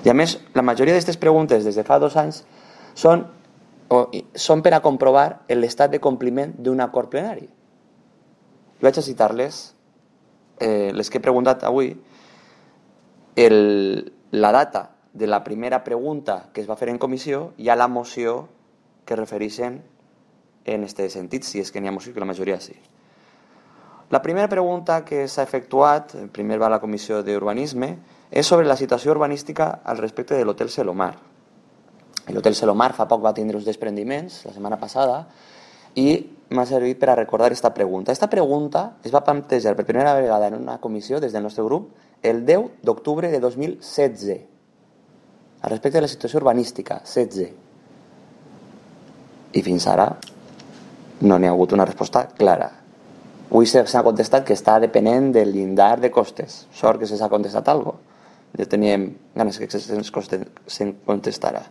I a més, la majoria d'aquestes preguntes des de fa 2 anys són per a comprovar l'estat de compliment d'un acord plenari. Vaig a citar-les, les que he preguntat avui. La data de la primera pregunta que es va fer en comissió i a la moció que refereixen en aquest sentit, si és que n'hi ha moció, que la majoria sí. La primera pregunta que s'ha efectuat, primer va a la Comissió d'Urbanisme, és sobre la situació urbanística al respecte de l'Hotel Selomar. L'Hotel Selomar fa poc va tindre uns desprendiments, la setmana passada, i m'ha servit per a recordar aquesta pregunta. Aquesta pregunta es va plantejar per primera vegada en una comissió des del nostre grup el 10 d'octubre de 2016, al respecte de la situació urbanística, 16. I fins ara no n'hi ha hagut una resposta clara. Avui s'ha contestat que està depenent del llindar de costes. Sort que s'ha contestat alguna cosa. Ja teníem ganes que se'n contestara.